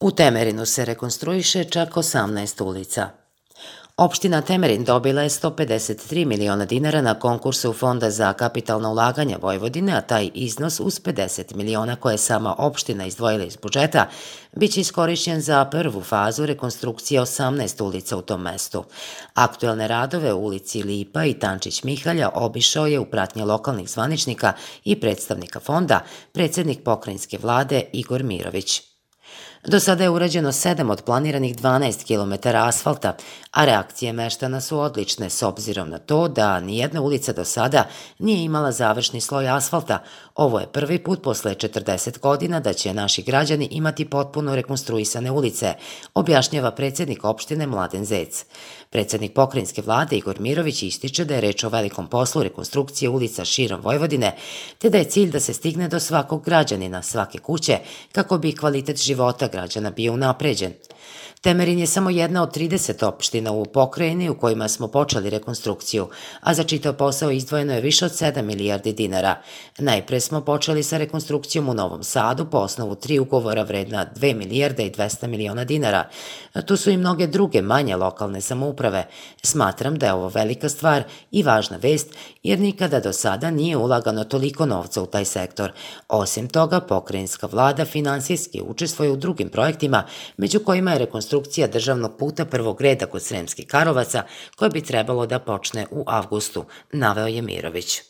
U Temerinu se rekonstruiše čak 18 ulica. Opština Temerin dobila je 153 miliona dinara na konkursu Fonda za kapitalna ulaganja Vojvodine, a taj iznos uz 50 miliona koje je sama opština izdvojila iz budžeta biće iskorišćen za prvu fazu rekonstrukcije 18 ulica u tom mestu. Aktuelne radove u ulici Lipa i Tančić Mihalja obišao je u pratnji lokalnih zvaničnika i predstavnika fonda predsednik pokrajinske vlade Igor Mirović. Do sada je urađeno 7 od planiranih 12 km asfalta, a reakcije meštana su odlične s obzirom na to da nijedna ulica do sada nije imala završni sloj asfalta. Ovo je prvi put posle 40 godina da će naši građani imati potpuno rekonstruisane ulice, objašnjava predsednik opštine Mladen Zec. Predsednik pokrajinske vlade Igor Mirović ističe da je reč o velikom poslu rekonstrukcije ulica širom Vojvodine, te da je cilj da se stigne do svakog građanina, svake kuće, kako bi kvalitet života građana bio unapređen. Temerin je samo jedna od 30 opština u pokrajini u kojima smo počeli rekonstrukciju, a za čitav posao izdvojeno je više od 7 milijardi dinara. Najpre smo počeli sa rekonstrukcijom u Novom Sadu po osnovu 3 ugovora vredna 2 milijarde i 200 miliona dinara. Tu su i mnoge druge manje lokalne samouprave. Smatram da je ovo velika stvar i važna vest, jer nikada do sada nije ulagano toliko novca u taj sektor. Osim toga, pokrajinska vlada finansijski učestvuje u drugim projektima, među kojima je rekonstrukcija državnog puta prvog reda kod Sremskih Karlovaca, koje bi trebalo da počne u avgustu, naveo je Mirović.